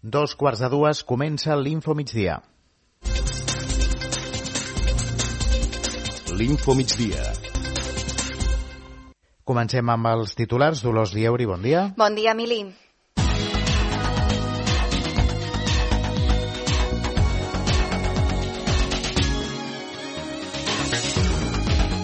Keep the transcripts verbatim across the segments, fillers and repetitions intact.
Dos quarts de dues comença l'Info Migdia. L'Info Migdia. Comencem amb els titulars. Dolors Lieuri, bon dia. Bon dia, Emili.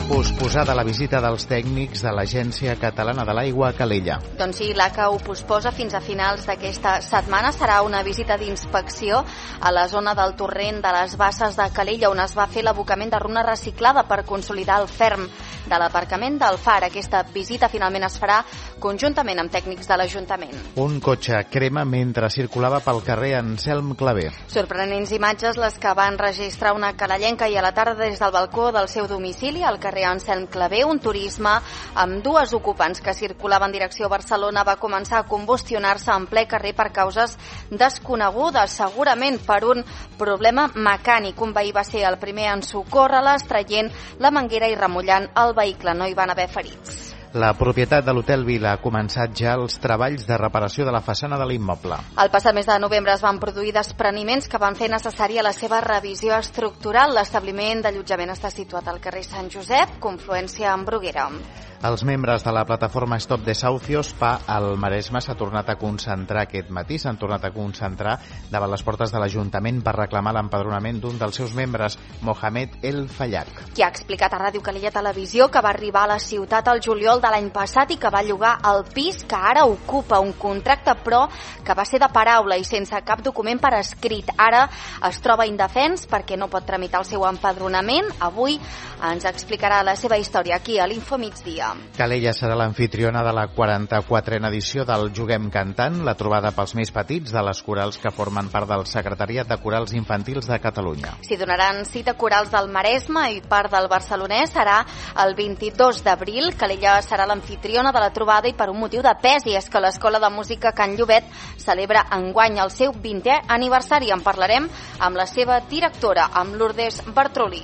Posposada la visita dels tècnics de l'Agència Catalana de l'Aigua a Calella. Doncs sí, l'A C A ho posposa fins a finals d'aquesta setmana. Serà una visita d'inspecció a la zona del torrent de les Basses de Calella, on es va fer l'abocament de runa reciclada per consolidar el ferm de l'aparcament del Far. Aquesta visita finalment es farà conjuntament amb tècnics de l'Ajuntament. Un cotxe crema mentre circulava pel carrer Anselm Clavé. Sorprenents imatges les que van registrar una calellenca i a la tarda des del balcó del seu domicili al carrer Anselm Clavé. Un turisme amb dues ocupants que circulaven en direcció a Barcelona va començar a combustionar-se en ple carrer per causes desconegudes, segurament per un problema mecànic. Un veí va ser el primer en socórrer-les, traient la manguera i remullant el vehicle. No hi van haver ferits. La propietat de l'Hotel Vila ha començat ja els treballs de reparació de la façana de l'immoble. El passat mes de novembre es van produir despreniments que van fer necessària la seva revisió estructural. L'establiment d'allotjament està situat al carrer Sant Josep, confluència amb Bruguera. Els membres de la plataforma Stop Desahucios P A al Maresme s'ha tornat a concentrar aquest matí, s'han tornat a concentrar davant les portes de l'Ajuntament per reclamar l'empadronament d'un dels seus membres, Mohamed El Fallac. Qui ha explicat a Ràdio Calella Televisió que va arribar a la ciutat el juliol de l'any passat i que va llogar el pis que ara ocupa, un contracte però que va ser de paraula i sense cap document per escrit. Ara es troba indefens perquè no pot tramitar el seu empadronament. Avui ens explicarà la seva història aquí a l'Info Migdia. Calella serà l'anfitriona de la quaranta-quatrena edició del Juguem Cantant, la trobada pels més petits de les corals que formen part del Secretariat de Corals Infantils de Catalunya. S'hi donaran cita corals del Maresme i part del barcelonès. Serà el vint-i-dos d'abril. Calella serà l'anfitriona de la trobada i per un motiu de pes, i és que l'Escola de Música Can Llobet celebra enguany el seu vintè aniversari. En parlarem amb la seva directora, amb Lourdes Bartrolí.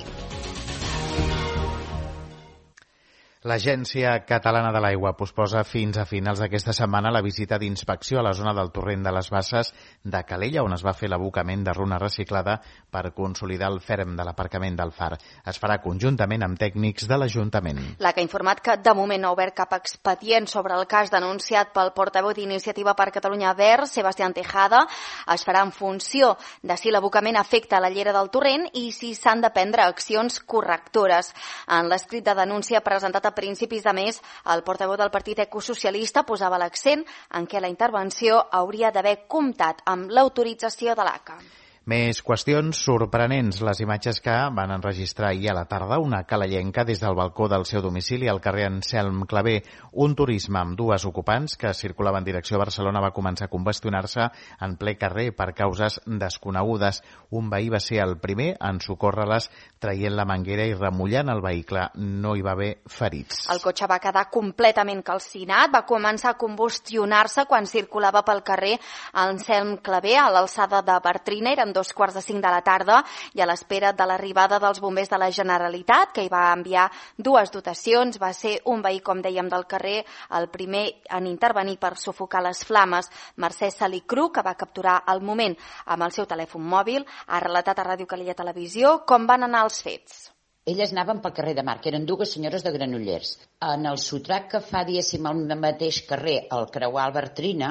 L'Agència Catalana de l'Aigua posposa fins a finals d'aquesta setmana la visita d'inspecció a la zona del torrent de les Basses de Calella, on es va fer l'abocament de runa reciclada per consolidar el ferm de l'aparcament del Far. Es farà conjuntament amb tècnics de l'Ajuntament. L'A C A ha informat que de moment no ha obert cap expedient sobre el cas denunciat pel portaveu d'Iniciativa per Catalunya Verds, Sebastián Tejada. Es farà en funció de si l'abocament afecta la llera del torrent i si s'han de prendre accions correctores. En l'escrit de denúncia presentat a principis de mes, el portaveu del Partit Ecosocialista posava l'accent en què la intervenció hauria d'haver comptat amb l'autorització de l'A C A. Més qüestions sorprenents. Les imatges que van enregistrar ahir a la tarda una calellenca des del balcó del seu domicili al carrer Anselm Clavé. Un turisme amb dues ocupants que circulava en direcció a Barcelona va començar a combustionar-se en ple carrer per causes desconegudes. Un veí va ser el primer en socórrer-les traient la manguera i remullant el vehicle. No hi va haver ferits. El cotxe va quedar completament calcinat, va començar a combustionar-se quan circulava pel carrer Anselm Clavé a l'alçada de Bartrina. Eren dos quarts de cinc de la tarda i a l'espera de l'arribada dels bombers de la Generalitat, que hi va enviar dues dotacions. Va ser un veí, com dèiem, del carrer el primer en intervenir per sufocar les flames. Mercè Salicru, que va capturar el moment amb el seu telèfon mòbil, ha relatat a Ràdio Calella Televisió com van anar els fets. Elles anaven pel carrer de Mar, que eren dues senyores de Granollers. En el sotrac que fa, diguéssim, al mateix carrer, al creuar el Bartrina,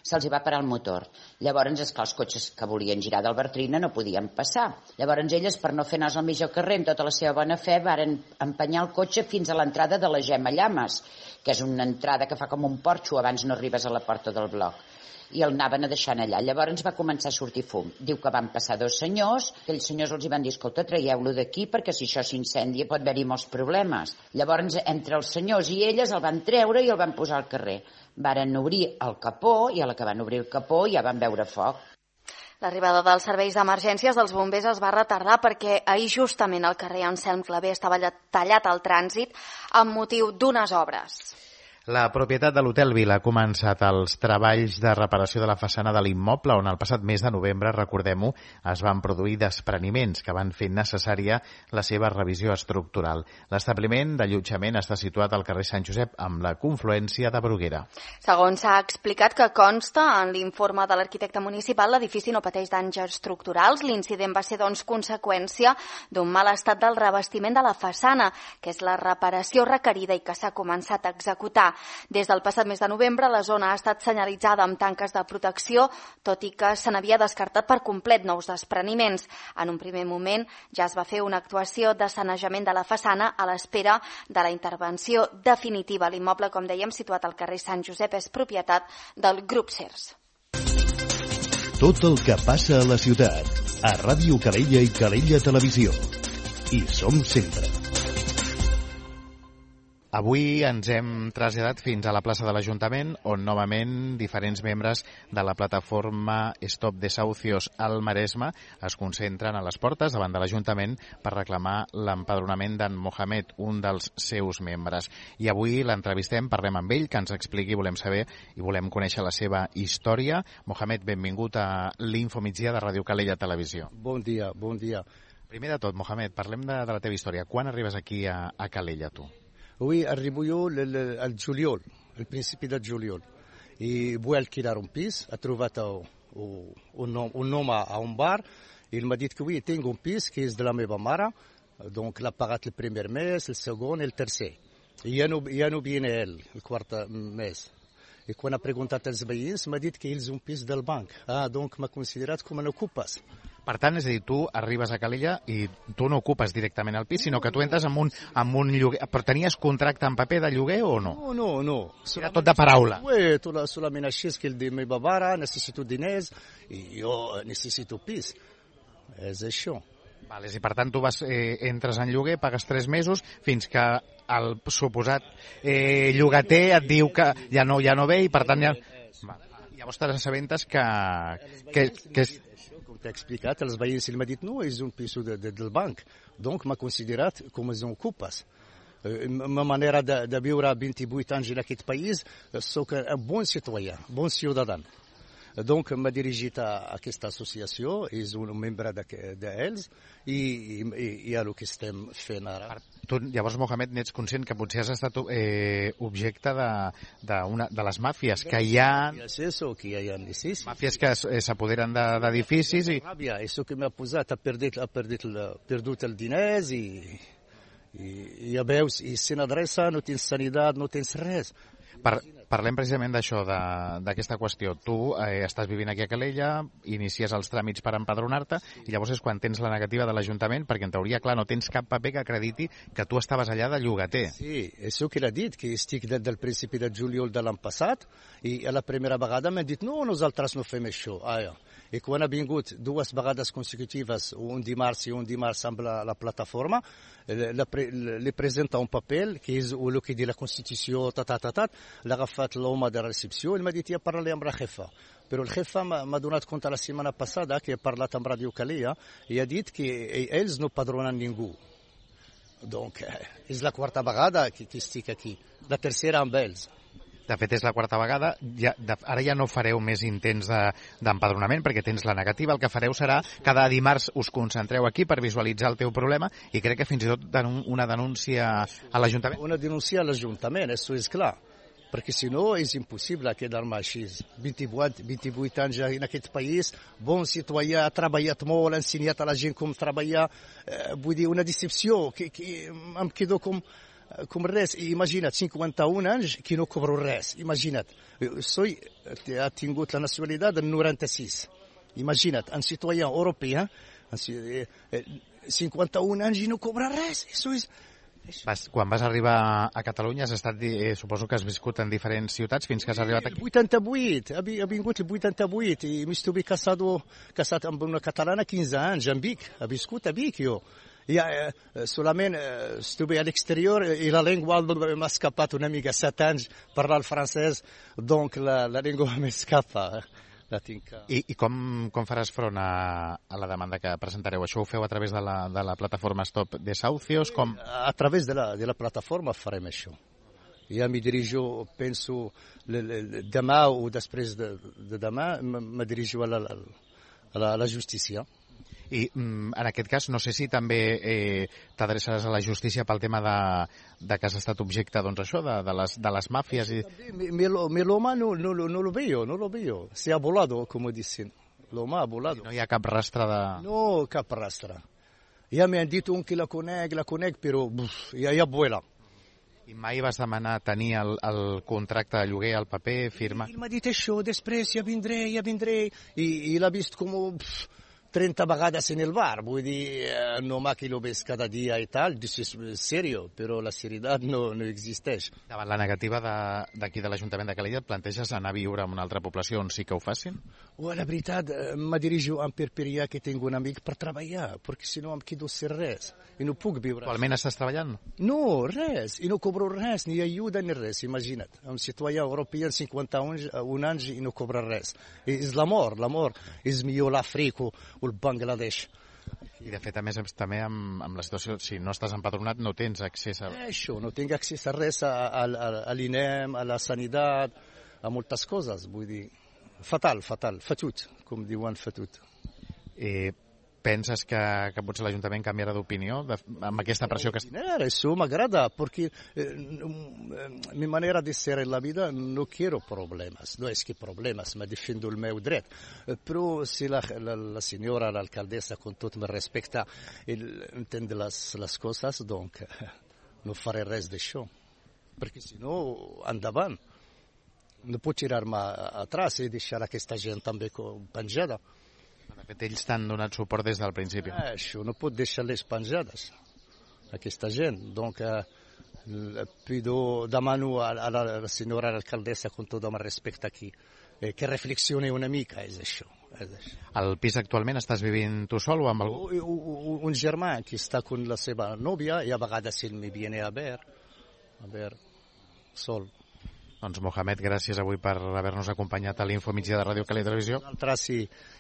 se'ls hi va parar el motor. Llavors, esclar, els cotxes que volien girar del Bartrina no podien passar. Llavors, elles, per no fer nas al mig del carrer, amb tota la seva bona fe, varen empenyar el cotxe fins a l'entrada de la Gemma Llames, que és una entrada que fa com un porxo abans no arribes a la porta del bloc. I el anaven a deixant allà. Llavors va començar a sortir fum. Diu que van passar dos senyors, aquells senyors els hi van dir, escolta, traieu-lo d'aquí perquè si això s'incendia pot haver-hi molts problemes. Llavors, entre els senyors i elles el van treure i el van posar al carrer. Varen obrir el capó i a la que van obrir el capó ja van veure foc. L'arribada dels serveis d'emergències dels bombers es va retardar perquè ahir justament al carrer Anselm Clavé estava tallat el trànsit amb motiu d'unes obres. La propietat de l'Hotel Vila ha començat els treballs de reparació de la façana de l'immoble, on el passat mes de novembre, recordem-ho, es van produir despreniments que van fer necessària la seva revisió estructural. L'establiment d'allotjament està situat al carrer Sant Josep, amb la confluència de Bruguera. Segons s'ha explicat que consta en l'informe de l'arquitecte municipal, l'edifici no pateix danys estructurals. L'incident va ser, doncs, conseqüència d'un mal estat del revestiment de la façana, que és la reparació requerida i que s'ha començat a executar. Des del passat mes de novembre, la zona ha estat senyalitzada amb tanques de protecció, tot i que se n'havia descartat per complet nous despreniments. En un primer moment ja es va fer una actuació de sanejament de la façana a l'espera de la intervenció definitiva. L'immoble, com dèiem, situat al carrer Sant Josep, és propietat del Grup Sers. Tot el que passa a la ciutat, a Ràdio Calella i Calella Televisió. Hi som sempre. Avui ens hem traslladat fins a la plaça de l'Ajuntament, on novament diferents membres de la plataforma Stop Desahucios al Maresme es concentren a les portes davant de l'Ajuntament per reclamar l'empadronament d'en Mohamed, un dels seus membres. I avui l'entrevistem, parlem amb ell, que ens expliqui, volem saber i volem conèixer la seva història. Mohamed, benvingut a l'Infomigdia de Ràdio Calella Televisió. Bon dia, bon dia. Primer de tot, Mohamed, parlem de, de la teva història. Quan arribes aquí a, a Calella, tu? Oui, arrivo io al Giuliol, al principi del Giuliol. E vuoi alquilare un pis, ha trovato un, un, un nome a un bar, e il m'a dit que oui, tengo un pis che è della meva mare, donc l'ha pagato il primo mese, il secondo e il terzo. E io non, io non viene il, il quarto mese. E quando ha preguntato als veïns, m'ha dit que ells un pis del banc. Ah, donc m'ha considerat com un ocupes. Per tant, és a dir, tu arribes a Calella i tu no ocupes directament el pis, sinó que tu entres amb un, amb un lloguer. Però tenies contracte en paper de lloguer o no? No, no, no. Era tot de paraula. Oui, solament així és que el de meva mare necessito diners i jo necessito pis. És això. Vale, i per tant tu vas, eh, entres en lloguer, pagues tres mesos, fins que el suposat eh, llogater et diu que ja no, ja no ve i per tant ja... Vale. Llavors t'assabentes que... que, que és... Com t'he explicat, els veïns m'ha dit no, és un pis de, de, del banc, donc m'ha considerat com els ocupes. La meva manera de, de viure vint-i-vuit anys en aquest país, soc un bon citoyen, bon ciutadà. Donc m'ha dirigit a aquesta associació, és un membre d'ells i, i, i a el que estem fent ara. Tu, llavors, Mohamed, n'ets conscient que potser has estat eh, objecte de, de, una, de les màfies, que hi ha... És això, que hi ha necessitat. Màfies que s'apoderen d'edificis i... Ràbia, això que m'ha posat, ha perdut, ha perdut, el, perdut el diners i, i, i ja veus, i sin adreça, no tens sanitat, no tens res. Per, parlem precisament d'això, d'aquesta qüestió. Tu eh, estàs vivint aquí a Calella, inicies els tràmits per empadronar-te i llavors és quan tens la negativa de l'Ajuntament, perquè en teoria, clar, no tens cap paper que acrediti que tu estaves allà de llogater. Sí, això que l'ha dit, que estic des del principi de juliol de l'any passat i a la primera vegada m'han dit no, nosaltres no fem això. Ah, ja. I quan ha vingut dues vegades consecutives, un dimarts i un dimarts amb la, la plataforma, li presenta un paper que és el que diu la Constitució, ta, ta, ta, ta, l'ha agafat l'home de recepció i m'ha dit ja parlaré amb la jefa. Però el jefa m'ha donat compte la setmana passada que he parlat amb Ràdio Calella i ha dit que ells no padronen ningú. Donc, és la quarta vegada que, que estic aquí, la tercera amb ells. De fet, és la quarta vegada. Ja, de, ara ja no fareu més intents d'empadronament de, perquè tens la negativa. El que fareu serà cada dimarts us concentreu aquí per visualitzar el teu problema i crec que fins i tot denun una denúncia a l'Ajuntament. Una denúncia a l'Ajuntament, això és clar. Perquè si no és impossible quedar-me així. vint-i-vuit anys en aquest país, bon citoyen, ha treballat molt, ha ensenyat a la gent com treballar. Eh, vull dir, una decepció que, que em quedo com... com res, imagina't, cinquanta-un anys que no cobro res, imagina't. Soy, ha tingut la nacionalitat del noranta-sis, imagina't, un citoyen europeu, cinquanta-un anys i no cobra res, això és... Vas, quan vas arribar a Catalunya has estat, eh, suposo que has viscut en diferents ciutats fins que has arribat aquí. El vuitanta-vuit, ha vingut el vuitanta-vuit i m'estuve casat, casat amb una catalana quinze anys, en Vic, ha viscut a Vic jo. Ja, eh, solament eh, estuve a l'exterior i la llengua m'ha escapat una mica, set anys parlar el francès, donc la, la llengua m'escapa. La tinc... I, i com, com faràs front a, a la demanda que presentareu? Això ho feu a través de la, de la plataforma Stop Desahucios? Com... A través de la, de la plataforma farem això. Ja m'hi dirijo, penso, demà o després de, de demà, me dirijo a la, a la, a la justícia. I en aquest cas, no sé si també eh, t'adreçaràs a la justícia pel tema de, de que has estat objecte, doncs això, de, de, les, de les màfies. I... Mi, mi, mi l'home no, no, no lo veo, no lo veo. Se ha volado, como dicen. L'home ha volado. No hi ha cap rastre de... No, cap rastre. Ja m'han dit un que la conec, la conec, però uf, ja, ja vuela. I mai vas demanar tenir el, el contracte de lloguer, el paper, firma? Ell m'ha dit això, després ja vindré, ja vindré. I, i l'ha vist com... Pff, trenta vegades en el bar, vull dir, no ma que lo ves cada dia i tal, és serio, però la seriositat no, no existeix. Davant la negativa d'aquí de, de l'Ajuntament de Calella, et planteges anar a viure en una altra població on sí que ho facin? Oh, la veritat, me dirijo a Perperia, que tinc un amic per treballar, perquè si no em quedo sense res, i no puc viure. Actualment estàs treballant? No, res, i no cobro res, ni ajuda ni res, imagina't. Un citoyen europeu, cinquanta un anys, i no cobra res. És l'amor, l'amor. És millor l'Àfrica, o el Bangladesh. I de fet, a més, també amb, amb la situació, si no estàs empadronat, no tens accés a... Això, no tinc accés a res, a, a, a l'I N E M, a la sanitat, a moltes coses, vull dir, fatal, fatal, fatut, com diuen fatut. Eh, penses que, que potser l'Ajuntament canviarà d'opinió amb aquesta pressió que... Eso m'agrada, perquè eh, mi manera de ser en la vida no quiero problemas, no es que problemas, me defiendo el meu dret, eh, però si la, la, la senyora, l'alcaldessa, con tot me respecta, entende les, les coses, donc no faré res d'això, perquè si no, endavant. No puc tirar-me atrás i deixar aquesta gent també penjada. De fet, ells t'han donat suport des del principi. Això, no pot deixar-les penjades, aquesta gent. Donc, eh, pido, demano a, a la senyora alcaldessa, con tot el respecte aquí, eh, que reflexioni una mica, és això. És això. Al pis actualment estàs vivint tu sol o amb algú? Un, un germà que està con la seva nòvia i a vegades ell me viene a ver, a ver, sol. Doncs, Mohamed, gràcies avui per haver-nos acompanyat a l'Info Migdia de Ràdio Calella Televisió. Nosaltres sí,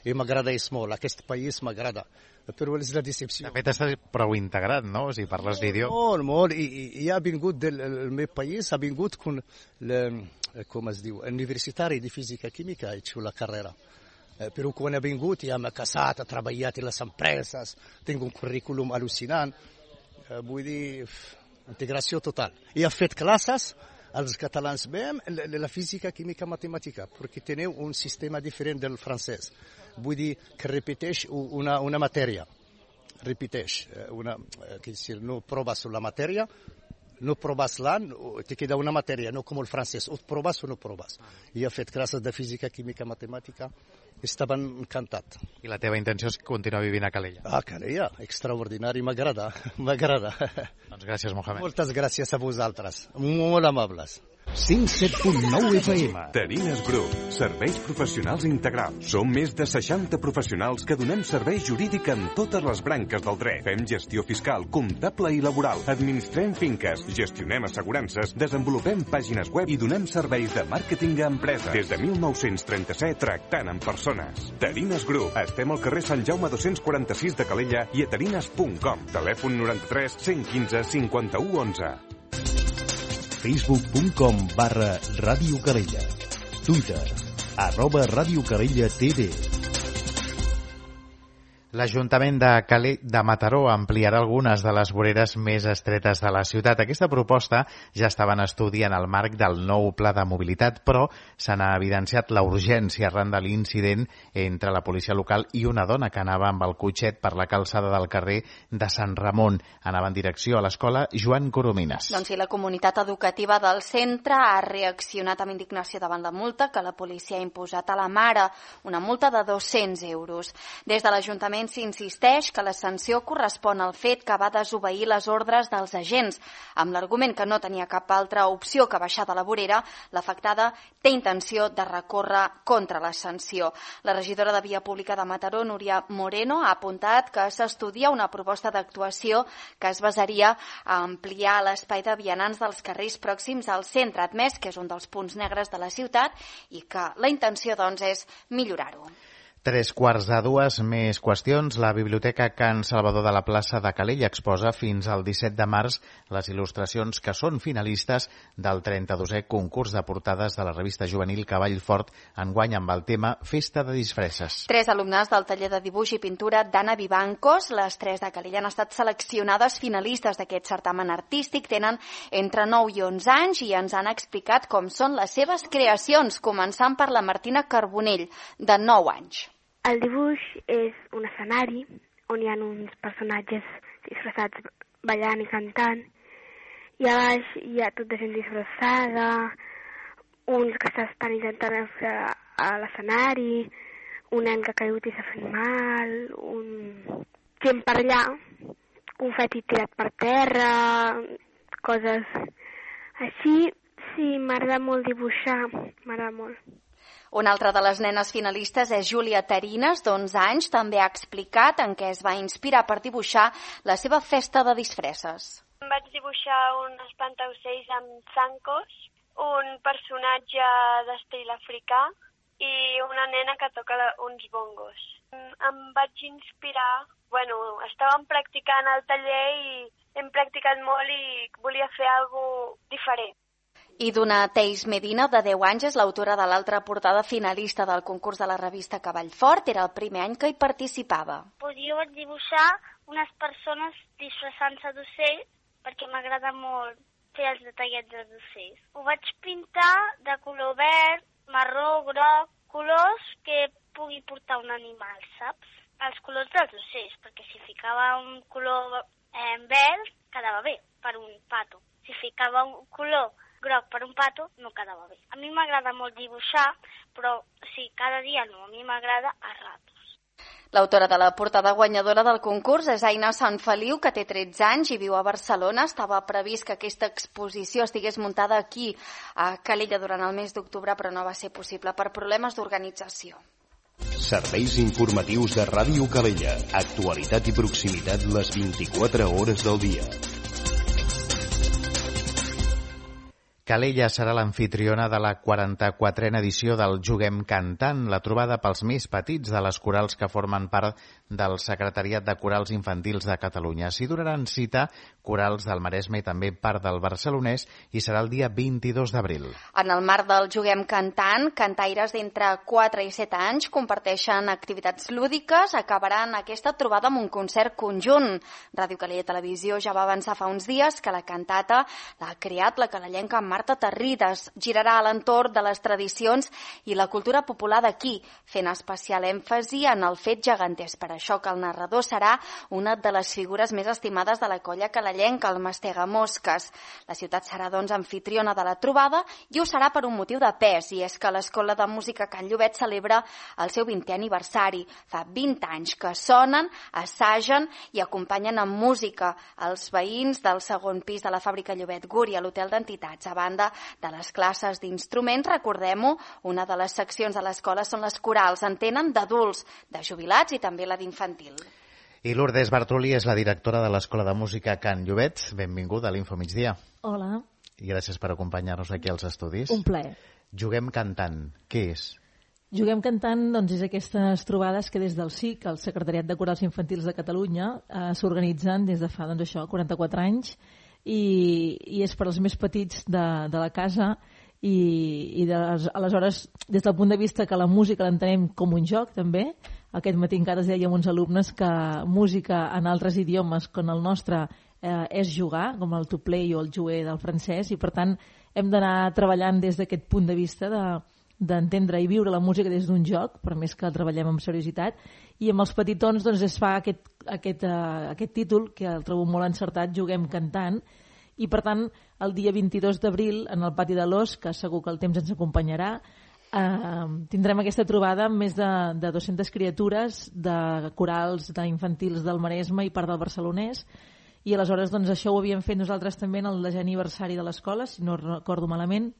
i m'agrada molt, aquest país m'agrada, però és la decepció. De fet, estàs prou integrat, no? O sigui, parles l'idioma. Molt, molt, i, i ha vingut del el meu país, ha vingut con, le, com es diu, universitari de física química, he hecho la carrera. Eh, però quan ha vingut ja m'ha casat, ha treballat en les empreses, tinc un currículum al·lucinant, eh, vull dir, integració total. I ha fet classes als catalans veiem la física, química, matemàtica, perquè teniu un sistema diferent del francès. Vull dir que repeteix una, una matèria. Repeteix. Una, que si no proves la matèria, no proves l'any, te queda una matèria, no com el francès. O proves o no proves. I ha fet classes de física, química, matemàtica. Estaven encantats. I la teva intenció és continuar vivint a Calella? A Calella, extraordinari, m'agrada, m'agrada. Doncs gràcies, Mohamed. Moltes gràcies a vosaltres, molt amables. cent set punt nou F M. Terines Group, serveis professionals integrals. Som més de seixanta professionals que donem servei jurídic en totes les branques del dret. Fem gestió fiscal, comptable i laboral. Administrem finques, gestionem assegurances, desenvolupem pàgines web i donem serveis de màrqueting a empreses. Des de mil nou-cents trenta-set, tractant amb persones. Terines Group. Estem al carrer Sant Jaume dos-cents quaranta-sis de Calella i a terines punt com. Telèfon noranta-tres cent quinze cinquanta-u onze. facebook punt com barra Ràdio Calella. Twitter, arroba Ràdio Calella T V. L'Ajuntament de, Calella, de Mataró ampliarà algunes de les voreres més estretes de la ciutat. Aquesta proposta ja estava en estudi en el marc del nou pla de mobilitat, però se n'ha evidenciat la urgència arran de l'incident entre la policia local i una dona que anava amb el cotxet per la calçada del carrer de Sant Ramon. Anava en direcció a l'escola Joan Coromines. Doncs sí, la comunitat educativa del centre ha reaccionat amb indignació davant la multa que la policia ha imposat a la mare, una multa de dos-cents euros. Des de l'Ajuntament s'insisteix que la sanció correspon al fet que va desobeir les ordres dels agents. Amb l'argument que no tenia cap altra opció que baixar de la vorera, l'afectada té intenció de recórrer contra la sanció. La regidora de Via Pública de Mataró, Núria Moreno, ha apuntat que s'estudia una proposta d'actuació que es basaria a ampliar l'espai de vianants dels carrers pròxims al centre, admès que és un dels punts negres de la ciutat i que la intenció, doncs, és millorar-ho. Tres quarts de dues, més qüestions. La Biblioteca Can Salvador de la plaça de Calella exposa fins al disset de març les il·lustracions que són finalistes del trenta-dosè concurs de portades de la revista juvenil Cavall Fort, enguany amb el tema Festa de disfresses. Tres alumnes del taller de dibuix i pintura d'Anna Vivancos, les tres de Calella, han estat seleccionades finalistes d'aquest certamen artístic. Tenen entre nou i onze anys i ens han explicat com són les seves creacions, començant per la Martina Carbonell, de nou anys. El dibuix és un escenari on hi ha uns personatges disfressats ballant i cantant, i a baix hi ha tot de gent disfressada, uns que estan intentant fer a l'escenari, un nen que ha caigut i s'ha fet mal, un gent per allà, confeti tirat per terra, coses així. Sí, m'agrada molt dibuixar, m'agrada molt. Una altra de les nenes finalistes és Júlia Tarines, d'onze anys. També ha explicat en què es va inspirar per dibuixar la seva festa de disfresses. Em vaig dibuixar un espantaocells amb zancos, un personatge d'estil africà i una nena que toca uns bongos. Em vaig inspirar, bueno, estàvem practicant al taller i hem practicat molt i volia fer alguna cosa diferent. I Duna Teis Medina, de deu anys, és l'autora de l'altra portada finalista del concurs de la revista Cavall Fort. Era el primer any que hi participava. Pues jo vaig dibuixar unes persones disfressant-se d'ocells perquè m'agrada molt fer els detallets dels ocells. Ho vaig pintar de color verd, marró, groc, colors que pugui portar un animal, saps? Els colors dels ocells, perquè si ficava un color eh, verd, quedava bé per un pato. Si ficava un color groc per un pato, no quedava bé. A mi m'agrada molt dibuixar, però sí, cada dia no, a mi m'agrada a ratos. L'autora de la portada guanyadora del concurs és Aina Sanfeliu, que té tretze anys i viu a Barcelona. Estava previst que aquesta exposició estigués muntada aquí, a Calella, durant el mes d'octubre, però no va ser possible per problemes d'organització. Serveis informatius de Ràdio Calella. Actualitat i proximitat les vint-i-quatre hores del dia. Calella serà l'amfitriona de la quaranta-quatrena edició del Juguem Cantant, la trobada pels més petits de les corals que formen part del Secretariat de Corals Infantils de Catalunya. S'hi donaran cita corals del Maresme i també part del barcelonès i serà el dia vint-i-dos d'abril. En el marc del Juguem Cantant, cantaires d'entre quatre i set anys comparteixen activitats lúdiques. Acabaran aquesta trobada amb un concert conjunt. Ràdio Calella Televisió ja va avançar fa uns dies que la cantata l'ha creat la calellenca Marta Terrides. Girarà a l'entorn de les tradicions i la cultura popular d'aquí, fent especial èmfasi en el fet geganters. Per això que el narrador serà una de les figures més estimades de la colla calellenca, el Mastegamosques. La ciutat serà, doncs, anfitriona de la trobada i ho serà per un motiu de pes, i és que l'Escola de Música Can Llobet celebra el seu vintè aniversari. Fa vint anys que sonen, assagen i acompanyen amb música els veïns del segon pis de la fàbrica Llobet Guri, a l'Hotel d'Entitats. A banda de les classes d'instruments, recordem-ho, una de les seccions de l'escola són les corals. En tenen d'adults, de jubilats i també la d'infantil. I Lourdes Bartolí és la directora de l'Escola de Música Can Llobet. Benvinguda a l'Info Migdia. Hola. I gràcies per acompanyar-nos aquí als estudis. Un plaer. Juguem Cantant, què és? Juguem Cantant, doncs, és aquestes trobades que des del S I C, el Secretariat de Corals Infantils de Catalunya, eh, s'organitzen des de fa, doncs això, quaranta-quatre anys, i, i és per als més petits de, de la casa, i, i de, aleshores, des del punt de vista que la música l'entenem com un joc, també. Aquest matí encara es deia amb uns alumnes que música en altres idiomes com el nostre eh, és jugar, com el to play o el jouer del francès, i per tant hem d'anar treballant des d'aquest punt de vista de d'entendre i viure la música des d'un joc, per més que treballem amb seriositat, i amb els petitons doncs, es fa aquest, aquest, uh, aquest títol, que el trobo molt encertat, Juguem Cantant, i per tant el dia vint-i-dos d'abril en el pati de l'Os, que segur que el temps ens acompanyarà, uh, tindrem aquesta trobada amb més de, de dues-centes criatures de corals d'infantils del Maresme i part del barcelonès, i aleshores doncs, això ho havíem fet nosaltres també en el desè aniversari de l'escola, si no recordo malament,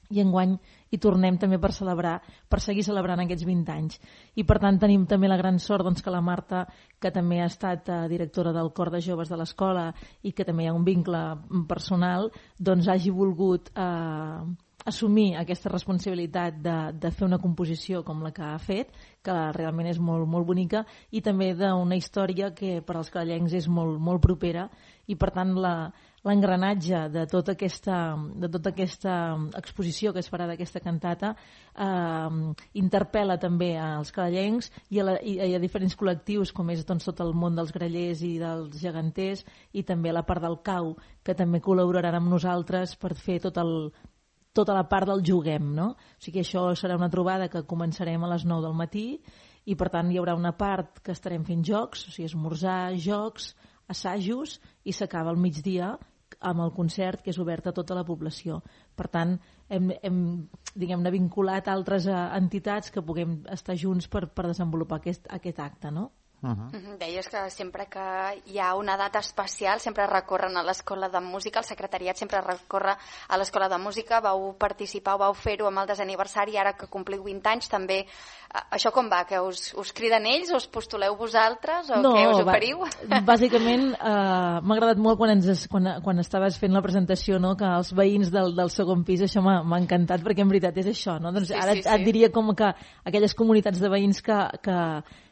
i enguany hi tornem també per celebrar, per seguir celebrant aquests vint anys. I per tant tenim també la gran sort doncs, que la Marta, que també ha estat eh, directora del cor de joves de l'escola i que també hi ha un vincle personal, doncs hagi volgut eh, assumir aquesta responsabilitat de, de fer una composició com la que ha fet, que realment és molt, molt bonica, i també d'una història que per als callencs és molt, molt propera, i per tant la, l'engranatge de tota aquesta, de tota aquesta exposició que es farà d'aquesta cantata eh, interpel·la també als callencs i a, la, i a diferents col·lectius, com és doncs, tot el món dels grallers i dels geganters, i també la part del cau, que també col·laboraran amb nosaltres per fer tot el tota la part del juguem, no? O sigui que això serà una trobada que començarem a les nou del matí i per tant hi haurà una part que estarem fent jocs, o sigui esmorzar, jocs, assajos, i s'acaba al migdia amb el concert que és obert a tota la població. Per tant, hem, hem diguem-ne, vinculat altres entitats que puguem estar junts per, per desenvolupar aquest, aquest acte, no? Uh-huh. Deies que sempre que hi ha una data especial sempre recorren a l'Escola de Música, el secretariat sempre recorre a l'Escola de Música, vau participar, vau fer-ho amb el desaniversari, ara que compliu vint anys també, això com va? Que us, us criden ells, us postuleu vosaltres o no, què us oferiu? Va, bàsicament eh, m'ha agradat molt quan, ens, quan, quan estaves fent la presentació, no? Que els veïns del, del segon pis, això m'ha, m'ha encantat perquè en veritat és això, no? Doncs sí, ara sí, sí. et diria com que aquelles comunitats de veïns que, que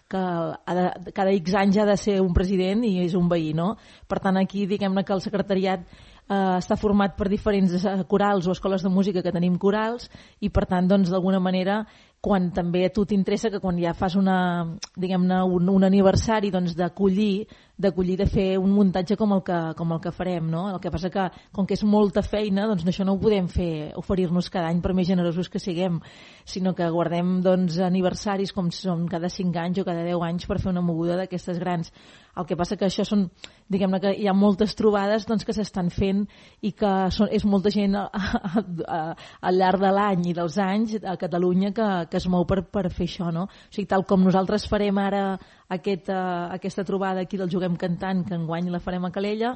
que ha de, cada X anys ha de ser un president i és un veí, no? Per tant, aquí diguem-ne que el secretariat eh, està format per diferents corals o escoles de música que tenim corals i per tant, doncs, d'alguna manera, quan també a tu t'interessa que quan ja fas una, diguem-ne, un, un aniversari, doncs, d'acollir, d'acollir de fer un muntatge com el que, com el que farem, no? El que passa que, com que és molta feina, doncs això no ho podem fer, oferir-nos cada any per més generosos que siguem, sinó que guardem, doncs, aniversaris com són cada cinc anys o cada deu anys per fer una moguda d'aquestes grans. El que passa que això són, diguem-ne que hi ha moltes trobades doncs, que s'estan fent i que són, és molta gent a, a, a, al llarg de l'any i dels anys a Catalunya que, que es mou per, per fer això, no? O sigui, tal com nosaltres farem ara aquest, uh, aquesta trobada aquí del Juguem Cantant, que enguany la farem a Calella,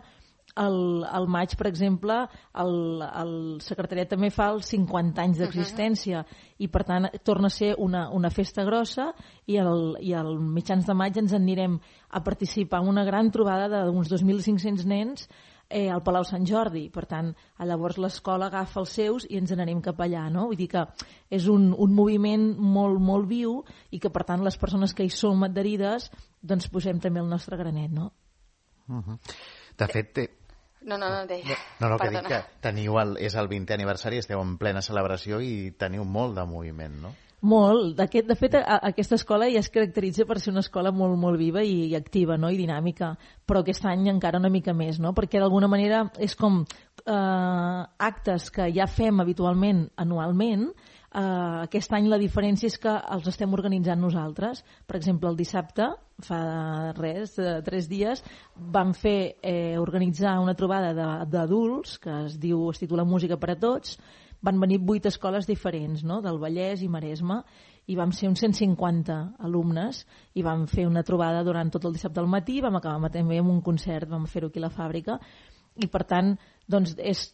al, al maig, per exemple, el, el secretariat també fa els cinquanta anys d'existència uh-huh. i per tant torna a ser una, una festa grossa i al, i al mitjans de maig ens anirem a participar en una gran trobada d'uns dos mil cinc-cents nens eh, al Palau Sant Jordi. Per tant, llavors l'escola agafa els seus i ens n'anem cap allà, no? Vull dir que és un, un moviment molt, molt viu i que per tant les persones que hi som adherides doncs posem també el nostre granet, no? Uh-huh. De fet, té... No, no, no, deia. No, no, que dic que teniu el, és el vintè aniversari, esteu en plena celebració i teniu molt de moviment, no? Molt. D'aquest, de fet, a, aquesta escola ja es caracteritza per ser una escola molt, molt viva i, i activa, no? I dinàmica, però aquest any encara una mica més, no? Perquè d'alguna manera és com eh, actes que ja fem habitualment anualment. Uh, aquest any la diferència és que els estem organitzant nosaltres. Per exemple, el dissabte, fa res, de tres dies, vam fer eh, organitzar una trobada d'adults que es diu, es titula Música per a Tots. Van venir vuit escoles diferents, no? Del Vallès i Maresme, i vam ser uns cent cinquanta alumnes i vam fer una trobada durant tot el dissabte al matí, vam acabar també amb un concert, vam fer-ho aquí a la fàbrica, i per tant, doncs, és...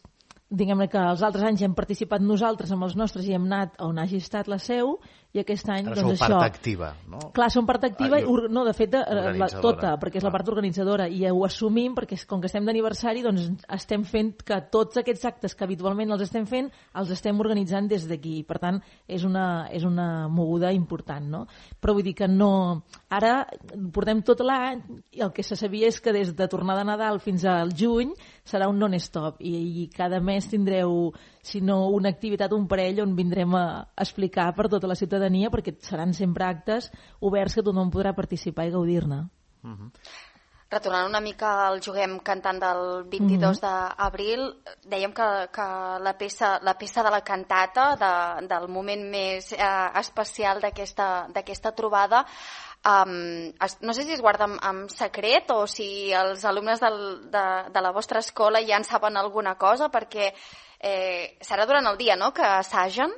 diguem-ne que els altres anys hem participat nosaltres amb els nostres i hem anat on hagi estat la seu i aquest any ara doncs sou això... part activa, no? Clar, som part activa, ah, no, de fet, la, tota, perquè és clar. La part organitzadora i ho assumim perquè com que estem d'aniversari doncs estem fent que tots aquests actes que habitualment els estem fent els estem organitzant des d'aquí, per tant és una, és una moguda important, no? Però vull dir que no... Ara portem tot l'any i el que se sabia és que des de tornada de Nadal fins al juny serà un non-stop i, i cada mes tindreu, si no una activitat, un parell on vindrem a explicar per tota la ciutadania perquè seran sempre actes oberts que tothom podrà participar i gaudir-ne. Uh-huh. Retornant una mica al Juguem Cantant del vint-i-dos uh-huh. d'abril, dèiem que, que la, peça, la peça de la cantata, de, del moment més eh, especial d'aquesta d'aquesta trobada, Um, es, no sé si es guarda amb, amb secret o si els alumnes del, de, de la vostra escola ja en saben alguna cosa, perquè eh, serà durant el dia, no?, que assagen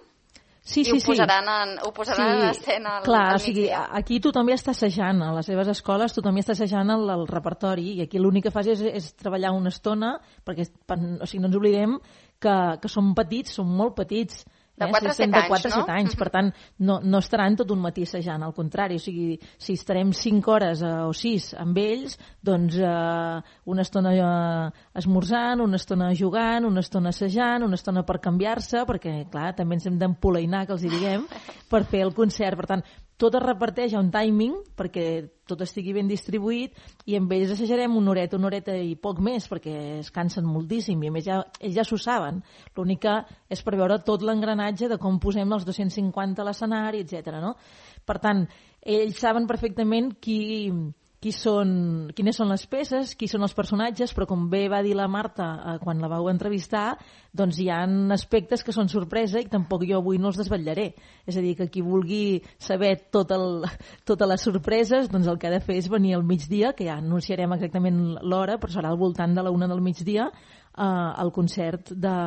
sí, i sí, ho posaran, sí. en, ho posaran sí. en escena al, Clar, al o sigui, aquí tothom ja està assajant, a les seves escoles tothom ja està assajant el, el repertori i aquí l'únic que fas és, és treballar una estona perquè o sigui, no ens oblidem que, que som petits, som molt petits. De quatre a set de anys, quatre a set no? anys, per tant, no, no estaran tot un matí assajant, al contrari, o sigui, si estarem cinc hores eh, o sis amb ells, doncs eh, una estona eh, esmorzant, una estona jugant, una estona assajant, una estona per canviar-se, perquè, clar, també ens hem d'empolainar, que els hi diguem, per fer el concert. Per tant, tot es reparteix a un timing perquè tot estigui ben distribuït i amb ells assajarem una horeta, una horeta i poc més perquè es cansen moltíssim i a més ja, ells ja s'ho saben. L'únic que és per veure tot l'engranatge de com posem els dos-cents cinquanta a l'escenari, etcètera. No? Per tant, ells saben perfectament qui, qui són, quines són les peces, qui són els personatges, però com bé va dir la Marta eh, quan la vau entrevistar, doncs hi ha aspectes que són sorpresa i tampoc jo avui no els desvetllaré. És a dir, que qui vulgui saber tot el, totes les sorpreses, doncs el que ha de fer és venir al migdia, que ja anunciarem exactament l'hora, però serà al voltant de la una del migdia, eh, al concert de...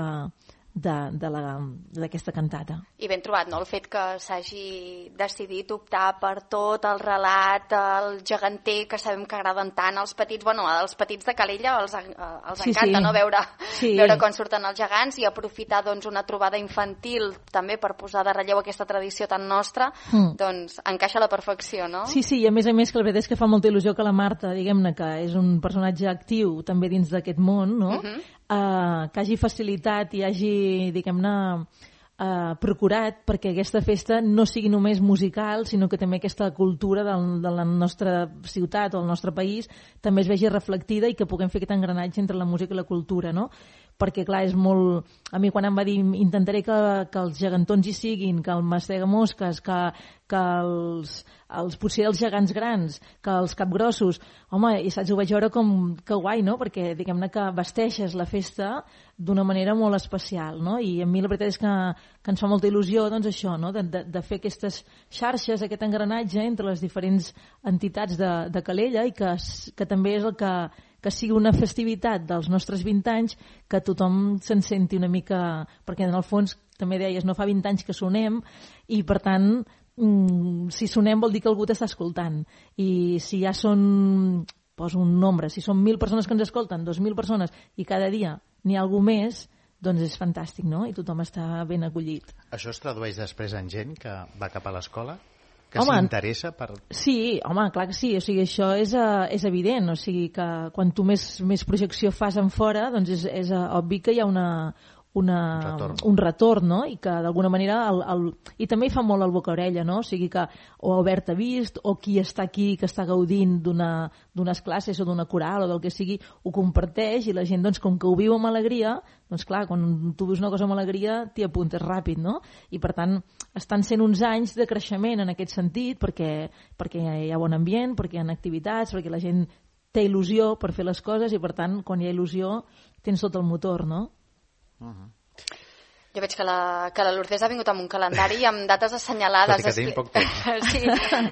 d'aquesta cantata. I ben trobat, no?, el fet que s'hagi decidit optar per tot el relat, el geganter, que sabem que agraden tant als petits, bueno, als petits de Calella els, els sí, encanta, sí. no?, veure, sí. veure com surten els gegants i aprofitar, doncs, una trobada infantil també per posar de relleu aquesta tradició tan nostra, mm. doncs encaixa a la perfecció, no? Sí, sí, i a més a més que la veritat és que fa molta il·lusió que la Marta, diguem-ne, que és un personatge actiu també dins d'aquest món, no?, uh-huh. Uh, que hagi facilitat i hagi, diguem-ne, uh, procurat perquè aquesta festa no sigui només musical, sinó que també aquesta cultura del, de la nostra ciutat o el nostre país també es vegi reflectida i que puguem fer aquest engranatge entre la música i la cultura, no? Perquè, clar, és molt... A mi quan em va dir intentaré que, que els gegantons hi siguin, que el mastega mosques, que, que els, els, potser els gegants grans, que els capgrossos... Home, i saps, ho vaig veure com que guai, no? Perquè, diguem-ne, que vesteixes la festa d'una manera molt especial, no? I a mi la veritat és que, que ens fa molta il·lusió, doncs, això, no? De, de, de fer aquestes xarxes, aquest engranatge entre les diferents entitats de, de Calella i que, que també és el que... que sigui una festivitat dels nostres vint anys, que tothom se'n senti una mica... Perquè, en el fons, també deies, no fa vint anys que sonem, i, per tant, mmm, si sonem vol dir que algú t'està escoltant. I si ja són, poso un nombre, si són mil persones que ens escolten, dos mil persones, i cada dia n'hi ha algú més, doncs és fantàstic, no? I tothom està ben acollit. Això es tradueix després en gent que va cap a l'escola? Que home, s'interessa per... Sí, home, clar que sí, o sigui, això és, uh, és evident, o sigui que quan tu més, més projecció fas en fora, doncs és, és uh, obvi que hi ha una, una, un, retorn. un retorn, no? I que d'alguna manera el, el, i també hi fa molt el boca-orella, no? O sigui que o Albert ha vist, o qui està aquí que està gaudint d'unes classes o d'una coral o del que sigui, ho comparteix i la gent, doncs, com que ho viu amb alegria, doncs clar, quan tu vius una cosa amb alegria t'hi apuntes ràpid, no? I per tant estan sent uns anys de creixement en aquest sentit perquè, perquè hi ha bon ambient, perquè hi ha activitats, perquè la gent té il·lusió per fer les coses i per tant quan hi ha il·lusió tens tot el motor, no? Uh-huh. Jo veig que la, que la Lourdes ha vingut amb un calendari amb dates assenyalades. Tot i que tenim poc temps. Sí,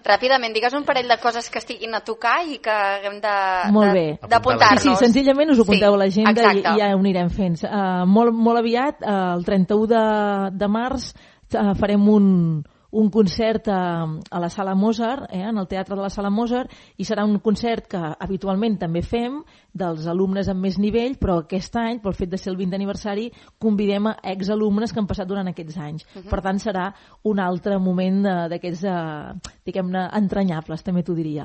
ràpidament, digues un parell de coses que estiguin a tocar i que haguem de, molt de, bé. d'apuntar-nos. Sí, sí, senzillament us ho apunteu sí, a l'agenda i, i ja ho anirem fent. Uh, molt, molt aviat, uh, el trenta-u de, de març, uh, farem un, un concert a, a la Sala Mozart, eh, en el Teatre de la Sala Mozart, i serà un concert que habitualment també fem dels alumnes amb més nivell, però aquest any, pel fet de ser el vintè aniversari, convidem a exalumnes que han passat durant aquests anys. Uh-huh. Per tant, serà un altre moment d'aquests, eh, diguem-ne, entranyables, també t'ho diria.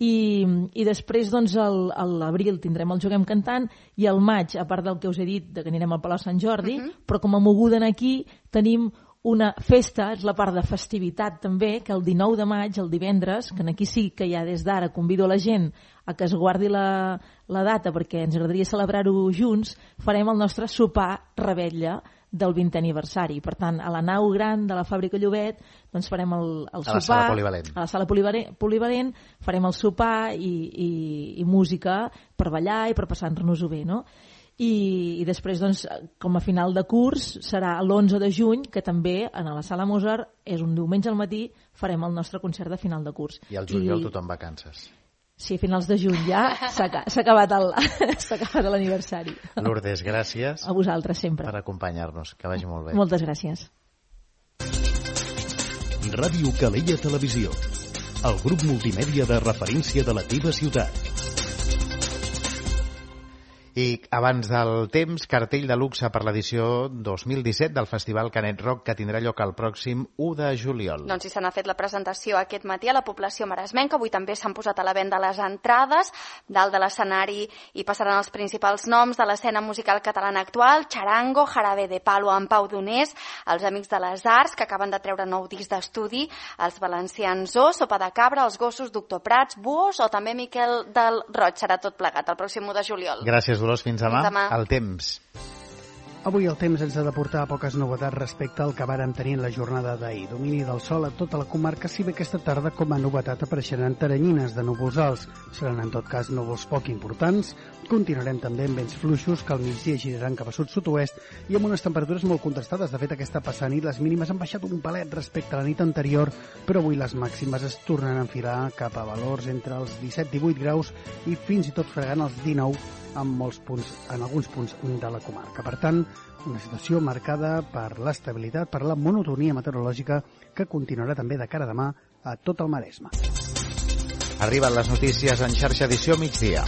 I, i després, doncs, el, a l'abril tindrem el Juguem Cantant i al maig, a part del que us he dit, de que anirem al Palau Sant Jordi, uh-huh. però com a moguda aquí tenim una festa, és la part de festivitat també, que el dinou de maig, el divendres, que aquí sí que ja des d'ara convido a la gent a que es guardi la, la data perquè ens agradaria celebrar-ho junts, farem el nostre sopar rebetlla del vintè aniversari. Per tant, a la nau gran de la Fàbrica Llobet doncs farem el, el sopar. A la sala polivalent. A la sala polivalent, polivalent farem el sopar i, i, i música per ballar i per passar-nos-ho bé, no? I, i després, doncs, com a final de curs, serà l'onze de juny, que també a la Sala Mozart, és un diumenge al matí, farem el nostre concert de final de curs. I al juliol I... tothom vacances. Sí, a finals de juny ja s'ha acabat l'aniversari. Lourdes, gràcies. A vosaltres, sempre. Per acompanyar-nos. Que vagi molt bé. Moltes gràcies. Ràdio Calella Televisió. El grup multimèdia de referència de la teva ciutat. I abans del temps, cartell de luxe per l'edició dos mil disset del Festival Canet Rock, que tindrà lloc el pròxim u de juliol. Doncs si se n'ha fet la presentació aquest matí a la població maresmenca, avui també s'han posat a la venda les entrades. Dalt de l'escenari hi passaran els principals noms de l'escena musical catalana actual: Charango, Jarabe de Palo, en Pau Donés, els Amics de les Arts, que acaben de treure nou disc d'estudi, els valencians Zoo, Sopa de Cabra, els Gossos, Doctor Prats, Buos o també Miquel del Roig. Serà tot plegat el pròxim u de juliol. Gràcies, Dolors. Fins demà. Fins demà. El temps. Avui el temps ens ha de portar poques novetats respecte al que vàrem tenir en la jornada d'ahir. Domini del sol a tota la comarca, si bé aquesta tarda com a novetat apareixeran teranyines de núvols alts. Seran en tot cas núvols poc importants. Continuarem també amb vents fluixos que al migdia giraran cap a sud-sud-oest i amb unes temperatures molt contrastades. De fet, aquesta passant nit les mínimes han baixat un palet respecte a la nit anterior, però avui les màximes es tornen a enfilar cap a valors entre els disset i divuit graus i fins i tot fregant els dinou en molts punts, en alguns punts de la comarca. Per tant, una situació marcada per l'estabilitat, per la monotonia meteorològica que continuarà també de cara a demà a tot el Maresme. Arriben les notícies en xarxa edició migdia.